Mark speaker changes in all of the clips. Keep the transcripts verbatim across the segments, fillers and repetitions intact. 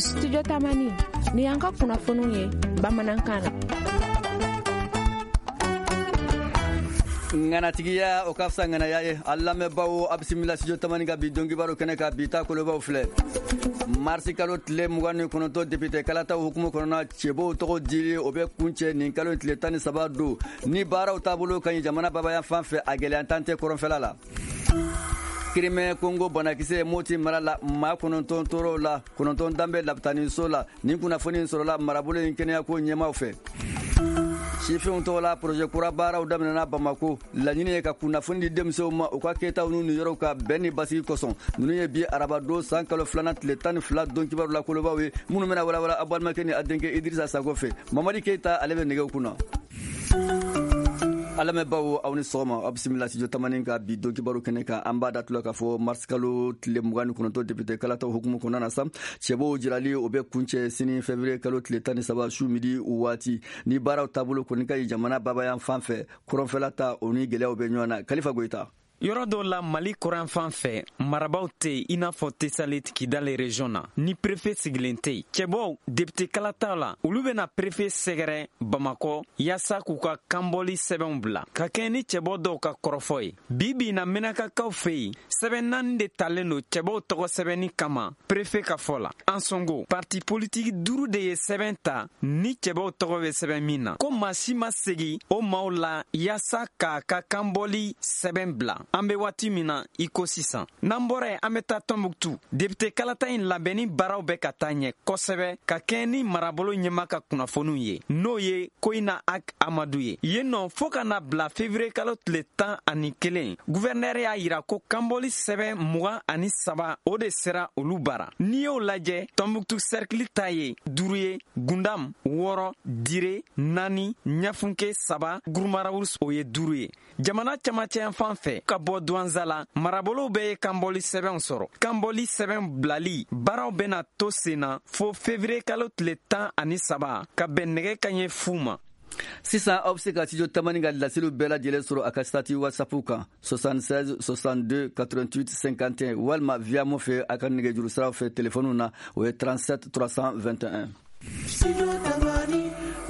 Speaker 1: Studio Tamani ni y'an ka kunnafoniw ye bamanankan na.
Speaker 2: Ŋanatigiya o ka fisa ŋanaya ye. A lamɛnbaaw, a bisimila Studio Tamani ka bi donkibaru kɛnɛ kan. Bi ta kolobaw filɛ: marisi kalo tile mugan ni kɔnɔntɔn député kalataw hukumu kɔnɔna, cɛbow tɔgɔ dili o bɛ kuncɛ nin kalo tile tan ni saba don. Ni baaraw taabolo ka ɲi jamana babaya fan fɛ, a gɛlɛya tan tɛ kɔrɔnfɛla la. Crimée Congo banakisɛ, Moti mara la, maa kɔnɔntɔn tɔɔrɔw la, kɔnɔntɔn dan bɛ lapitaniso la. Nin kunnafoni sɔrɔla marabolo in kɛnɛyako ɲɛmaw fɛ. Sifinw tɔgɔ la projet kura baaraw daminɛna Bamako. Laɲini ye ka kunnafoni di denmisɛnw ma u ka kɛtaw n'u niyɔrɔw ka bɛn ni basigi kosɔn. Ninnu ye bi arabadon san kalo filanan tile tan ni fila don kibaru la kolobaw ye, minnu bɛna walawala a balimakɛ ni a denkɛ Idirisa Sako fɛ. Mamadi Keyita, ale bɛ nɛgɛw kunna. A lamɛnbaw, aw ni sɔgɔma, aw bisimila Studio Tamani ka bi don kibaru kɛnɛ kan. An b'a datula k'a fɔ mars kalo tile mugan ni kɔnɔntɔn député kalataw hukumu kɔnɔna na sa, cɛbow jirali o bɛ kuncɛ sini février kalo tile tan ni saba su midi waati, ni baaraw taabolo kɔni ka ɲi jamana babayan fan fɛ. Kɔrɔnfɛla ta, o ni gɛlɛyaw bɛ ɲɔgɔn na. Kalifa Goyita.
Speaker 3: Yɔrɔ dɔw la Mali kɔrɔnfan fɛ, marabaw tɛ yen, i n'a fɔ Tesalit, Kidale région na, ni préfet sigilen tɛ yen. Cɛbɔw député kalataw la, olu bɛna préfet sɛgɛrɛ Bamakɔ yaasa k'u ka kanbɔli sɛbɛnw bila ka kɛɲɛ ni cɛbɔ dɔw ka kɔrɔfɔ ye. Bi bi na, Menakakaw fɛ yen, sɛbɛn naani de talen don cɛbɔw tɔgɔ sɛbɛnni kama préfet ka fɔ la. Ansongo, parti politique duuru de ye sɛbɛn ta ni cɛbɔw tɔgɔ bɛ sɛbɛn min na, ko maa si ma segi o maaw la yaasa k'a ka kanbɔli sɛbɛn bila an bɛ waati min na i ko sisan. N'an bɔra yen, an bɛ taa Tɔnbuktu. Député kalata in labɛnni baaraw bɛ ka taa ɲɛ kosɛbɛ ka kɛɲɛ ni marabolo ɲɛma ka kunnafoniw ye, n'o ye Koyina Ak Amadu ye. Yen nɔ, fɔɔ ka na bila février kalo tile tan ani kelen, gouverneur y'a yira ko kanbɔli sɛbɛn mugan ani saba o de sera olu bara. N'i y'o lajɛ, Tɔnbuktu cercle ta ye duuru ye, Gundam wɔɔrɔ, Dire naani, Ɲafunke saba, Gurumarawus o ye duuru ye. Jamana camancɛ fan fɛ, ka bɔ Duwanza la, marabolow bɛɛ ye kanbɔli sɛbɛnw sɔrɔ. Kanbɔli sɛbɛn bilali baaraw bɛna to sen na fo février kalo tile tan ani saba ka bɛn nɛgɛ kaɲɛ fu ma.
Speaker 2: Sisan aw bɛ se ka Studio Tamani ka laseliw bɛɛ lajɛlen sɔrɔ a ka statut WhatsApp kan soixante-seize soixante-deux quatre-vingt-huit cinquante et un, walima via mo fɛ a ka nɛgɛjuru siraw fɛ telefɔniw na, o ye trente-sept trois cent vingt et un.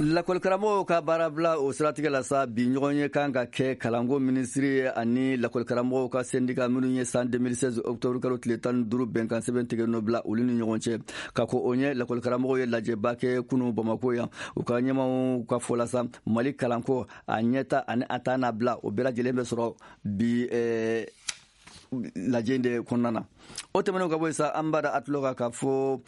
Speaker 2: Lakɔlikaramɔgɔw ka baarabila, o siratigɛ la sa, bi ɲɔgɔn ye kan ka kɛ kalanko minisiri ani lakɔlikaramɔgɔw ka syndicat minnu ye san deux mille seize octobre kalo tile tan ni duuru bɛnkan sɛbɛn tigɛ nɔ bila olu ni ɲɔgɔn cɛ. Ka ko o ɲɛ, lakɔlikaramɔgɔw ye lajɛba kɛ kunu Bamako yan. U ka ɲɛmaw ka fɔ la sa, Mali kalanko a ɲɛta ani a ta n'a bila, o bɛɛ lajɛlen bɛ sɔrɔ bi eh, lajɛ de kɔnɔna na. O tɛmɛnen ka bɔ yen sa, an b'a da a tulo kan k'a fɔ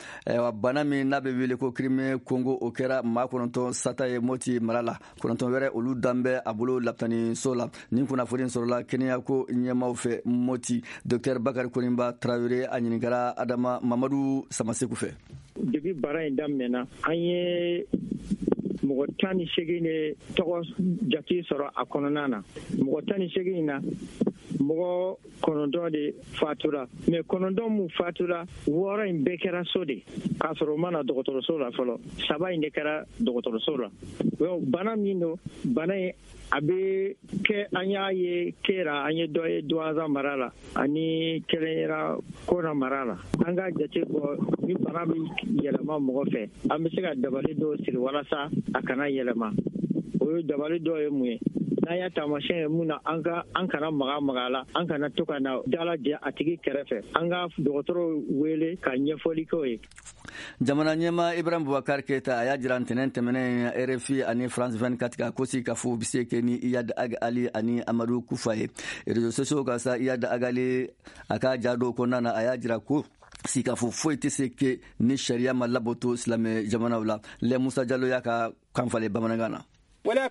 Speaker 2: bana min n'a bɛ wele ko Crimée Congo, o kɛra maa kɔnɔntɔn sata ye Moti mara la. Kɔnɔntɔn wɛrɛ, olu dan bɛ a bolo lapitaniso la. Nin kunnafoni sɔrɔla kɛnɛyako ɲɛmaw fɛ Moti. Docteur Bakari Koninba Tarawele, a ɲininkara Adama Mamadu Samaseku fɛ.
Speaker 4: Depuis baara in daminɛna, an ye mɔgɔ tan ni seegin de tɔgɔ jate sɔrɔ a kɔnɔna na. Mɔgɔ tan ni seegin in na, mɔgɔ kɔnɔntɔn de fatura. Mais kɔnɔntɔn mun fatura, wɔɔrɔ in bɛɛ kɛra so de, k'a sɔrɔ u ma na dɔgɔtɔrɔso la fɔlɔ. Saba in de kɛra dɔgɔtɔrɔso la. Bana min don, bana in a bɛ kɛ, an y'a ye Kera, an ye dɔ ye Duwanza mara la, ani kelen yera Kona mara la. An ka jate bɔ, ni bana bɛ yɛlɛma mɔgɔ fɛ, an bɛ se ka dabali dɔw siri walasa a kana yɛlɛma. O ye dabali dɔw ye mun ye? N'an y'a taamasiyɛn ye mun na, an ka an kana maga maga a la, an kana to ka na dala jɛ a tigi kɛrɛfɛ, an ka dɔgɔtɔrɔw wele ka ɲɛfɔli k'o ye.
Speaker 2: Jamana ɲɛma Ibrahim Bubakar Keyita, a y'a jira ntɛnɛn tɛmɛnen R F I ani France vingt-quatre kan ko sigi ka fɔ bɛ se kɛ ni Iyad Ag Ali ani Amadu Kufa ye réseaux sociaux kan sa. Iyad Ag Ali, a ka ja dɔw kɔnɔna na, a y'a jira ko sigikafɔ foyi tɛ se kɛ ni sariya ma labato silamɛ jamanaw la. Lɛ Musa Jalo y'a ka kan falen bamanankan na.
Speaker 5: Mɔgɔ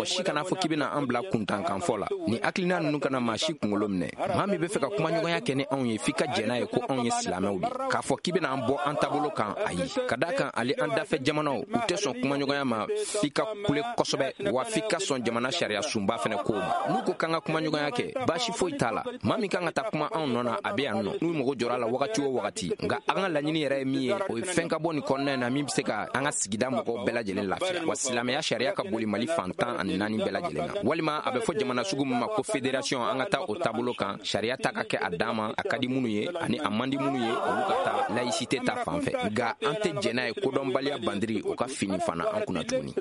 Speaker 5: si kana fɔ k'i bɛna an bila kuntankanfɔ la. Ni hakilina ninnu kana maa si kunkolo minɛ. Maa min bɛ fɛ ka kumaɲɔgɔnya kɛ ni anw ye, f'i ka jɛn n'a ye ko anw ye silamɛw de. K'a fɔ k'i bɛna an bɔ an taabolo kan, ayi. Ka d'a kan, ale an dafɛ jamanaw, u tɛ sɔn kumaɲɔgɔnya ma f'i ka kule kosɛbɛ, wa f'i ka sɔn jamana sariya sunba fɛnɛ kow ma. N'u ko k'an ka kumaɲɔgɔnya kɛ, baasi foyi t'a la. Maa min kan ka taa kuma anw nɔ na, a bɛ yan nɔ, n'u mago jɔra a la wagati o wagati. Nka an ka laɲini yɛrɛ ye min ye, o ye fɛn ka bɔ nin kɔnɔna in na min bɛ se ka an ka sigida mɔgɔw bɛɛ lajɛlen lafiya, wa silamɛya sariya ka boli Mali fan tan ani naani bɛɛ lajɛlen na. Walima a bɛ fɔ jamana sugu min ma ko fédération, an ka taa o taabolo kan, sariya ta ka kɛ a dan ma, a ka di minnu ye ani a man di minnu ye, olu ka taa laïcité ta fan fɛ. Nka an tɛ jɛn n'a ye kodɔnbaliya bandiri o ka fini fana an kunna tuguni.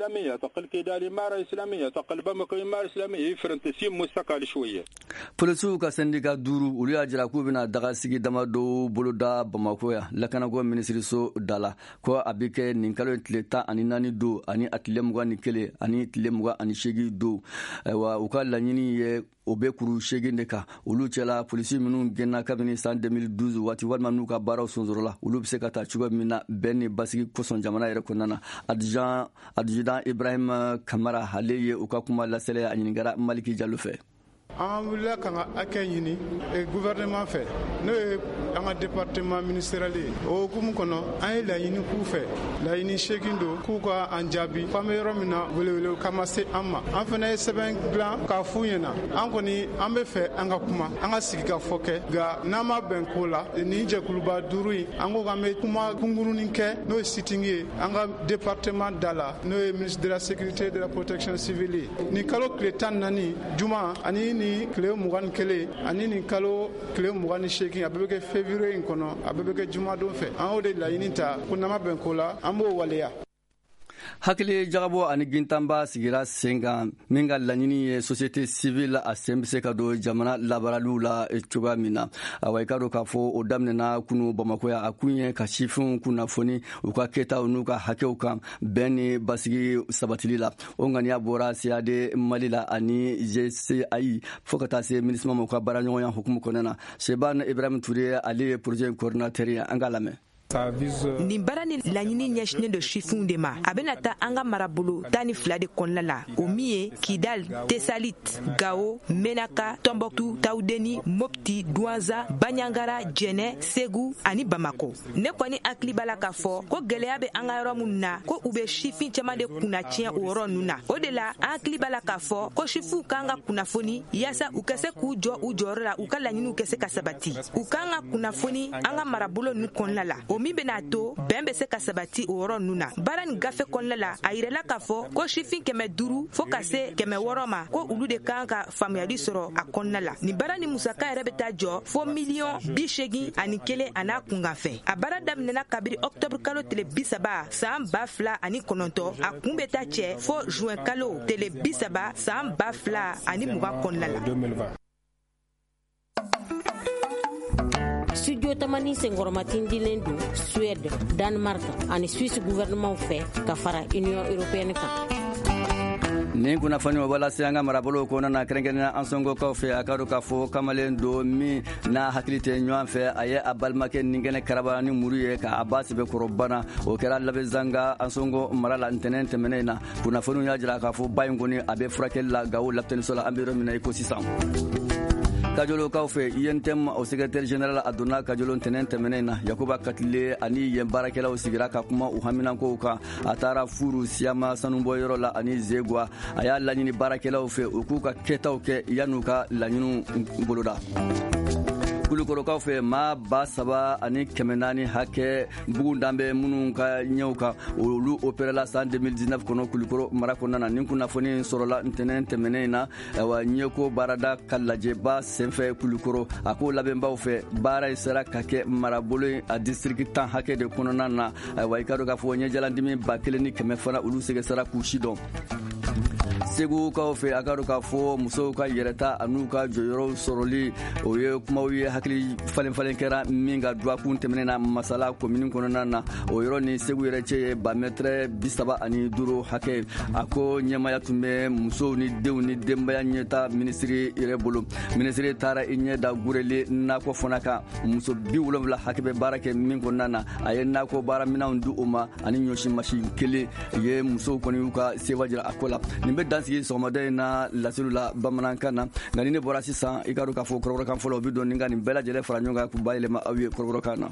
Speaker 2: Polisiw ka syndicat duuru, olu y'a jira k'u bɛna dagasigi damadɔ boloda Bamakɔ yan lakanako minisiriso da la, ko a bɛ kɛ nin kalo in tile tan ani naani don ani a tile mugan ni kelen ani tile mugan ani seegin don. Ayiwa, u ka laɲini ye o bɛ kuru seegin de kan. Olu cɛla, polisi minnu gɛnna kabini san deux mille douze waati walima n'u ka baaraw sonsorola, olu bɛ se ka taa cogo min na bɛn ni basigi kosɔn jamana yɛrɛ kɔnɔna na. Adjudant adjudant Ibrahim Kamara, ale ye u ka kuma lasɛlɛ, a ɲininkara Maliki Jalo fɛ.
Speaker 6: An wulila ka ka hakɛ ɲini gouvernement fɛ, n'o ye an ka département ministériel ye. O hukumu kɔnɔ, an ye laɲini k'u fɛ, laɲini seegin don, k'u ka an jaabi f'an bɛ yɔrɔ min na, welewele kama se an ma. An fana ye sɛbɛn dilan k'a f'u ɲɛna, an kɔni an bɛ fɛ an ka kuma, an ka sigi ka fɔ kɛ, nka n'an ma bɛn ko la, nin jɛkuluba duuru in, an ko k'an bɛ kuma kunkurunin kɛ, n'o ye sitting ye an ka département da la, n'o ye ministre de la sécurité de la protection civile ye. Nin kalo tile tan ni naani juma ani ni tile mugan ni kelen ani nin kalo tile mugan ni seegin, a bɛɛ bɛ kɛ février in kɔnɔ, a bɛɛ bɛ kɛ jumadon fɛ. An y'o de laɲini ta ko n'an ma bɛn ko la, an b'o waleya.
Speaker 2: Hakili jagabɔ ani gintanba sigira sen kan min ka laɲini ye société civile a sen bɛ se ka don jamana labaaraliw la cogoya min na. Awa, i ka dɔn k'a fɔ o daminɛna kunu Bamakɔ yan. A kun ye ka sifinw kunnafoni u ka kɛtaw n'u ka hakɛw kan bɛn ni basigi sabatili la. O ŋaniya bɔra C A D Mali la ani G C A I fo ka taa se MINUSMA ma, u ka baaraɲɔgɔnya hukumu kɔnɔna na. Seban Ibrahim Ture, ale ye projet coordinateur ye, an k'a lamɛn.
Speaker 7: Nin baara ni laɲini ɲɛsinen don sifinw de ma. A bɛna taa an ka marabolo tan ni fila de kɔnɔna la, o min ye Kidal, Tesalit, Gao, Menaka, Tombouctou, Tawudeni, Mopti, Douentza, Bandiagara, Jɛnɛ, Segu ani Bamako. Ne kɔni hakili b'a la k'a fɔ ko gɛlɛya bɛ an ka yɔrɔ minnu na, ko u bɛ sifin caman de kunna tiɲɛ o yɔrɔ ninnu na. O de la, an hakili b'a la k'a fɔ ko sifinw kan ka kunnafoni yaasa u ka se k'u jɔ u jɔyɔrɔ la, u ka laɲiniw ka se ka sabati. U kan ka kunnafoni an ka marabolo ninnu kɔnɔna la, o min bɛna to bɛn bɛ se ka sabati o yɔrɔ ninnu na. Baara nin gafe kɔnɔna la, a yirala k'a fɔ ko sifin kɛmɛ duuru fo ka se kɛmɛ wɔɔrɔ ma, ko olu de kan ka faamuyali sɔrɔ a kɔnɔna la. Nin baara ni musaka yɛrɛ bɛ taa jɔ fo miliyɔn bi seegin ani kelen a n'a kunkanfɛn. A baara daminɛna kabiri octobre kalo tile bi saba san ba fila ani kɔnɔntɔn, a kun bɛ taa cɛ fo juin kalo tile bi saba san ba fila ani mugan kɔnɔna la.
Speaker 8: Studio Tamani senkɔrɔmatindilen don Suède, Danemark ani Suisse gouvernement fɛ ka fara Union européenne kan.
Speaker 2: Nin kunnafoni o lase an ka marabolow kɔnɔna na, kɛrɛnkɛrɛnnenya an sɔngɔkaw fɛ. A ka dɔn k'a fɔ kamalen don min n'a hakili tɛ ɲɔgɔn fɛ, a ye a balimakɛ ninkɛnɛ karaba ni muru ye k'a ba sɛbɛkɔrɔ bana. O kɛra Labezanga Ansongo mara la ntɛnɛn tɛmɛnen na. Kunnafoniw y'a jira k'a fɔ ba in kɔni a bɛ furakɛli la Gawo lapitɛniso la, an bɛ yɔrɔ min na i ko sisan. Kajolokaw fɛ, U N T M o secrétaire général a donna Kajolo ntɛnɛn tɛmɛnen na. Yakuba Katile ani yen baarakɛlaw sigira ka kuma u haminankow kan. A taara Furu Siyama sanubɔyɔrɔ la ani Zegwa. A y'a laɲini baarakɛlaw fɛ u k'u ka kɛtaw kɛ yan'u ka laɲiniw boloda. Kulukɔrɔkaw fɛ, maa ba saba ani kɛmɛ naani hakɛ bugun dan bɛ minnu ka ɲɛw kan, olu opérela san deux mille dix-neuf kɔnɔ Kulukɔrɔ mara kɔnɔna na. Nin kunnafoni sɔrɔla ntɛnɛn tɛmɛnen in na, ayiwa, ɲɛko baarada ka lajɛba senfɛ Kulukɔrɔ. A ko labɛnbaw fɛ, baara in sera ka kɛ marabolo a district tan hakɛ de kɔnɔna na. Ayiwa, i ka dɔn k'a fɔ ɲɛjalandimi ba kelen ni kɛmɛ fana, olu sɛgɛsɛra k'u si dɔn. Segukaw fɛ, a ka dɔn k'a fɔ musow ka yɛrɛta an'u ka jɔyɔrɔw sɔrɔli, o ye kumaw ye hakili falen falen kɛra min ka dɔgɔkun tɛmɛnen na Masala komini kɔnɔna na. O yɔrɔ ni Segu yɛrɛ cɛ ye ba mɛtɛrɛ bi saba ani duuru hakɛ. A ko ɲɛmaya tun bɛ musow ni denw ni denbaya ɲɛta minisiri yɛrɛ bolo. Minisiri taara i ɲɛ da Gurele nakɔ fana kan, muso bi wolonwula hakɛ bɛ baara kɛ min kɔnɔna na. A ye nakɔ baaraminɛnw di u ma ani ɲɔsi masin kelen ye. Musow kɔni y'u ka sewa jira a ko la. Nin bɛ dan sigi sɔgɔmada in na laseliw la bamanankan na. Nka ni ne bɔra sisan, i ka dɔn k'a fɔ kɔrɔbɔrɔkan fɔlɔ o bɛ don ni ka nin bɛɛ lajɛlen fara ɲɔgɔn kan k'u bayɛlɛma aw ye kɔrɔbɔrɔkan na.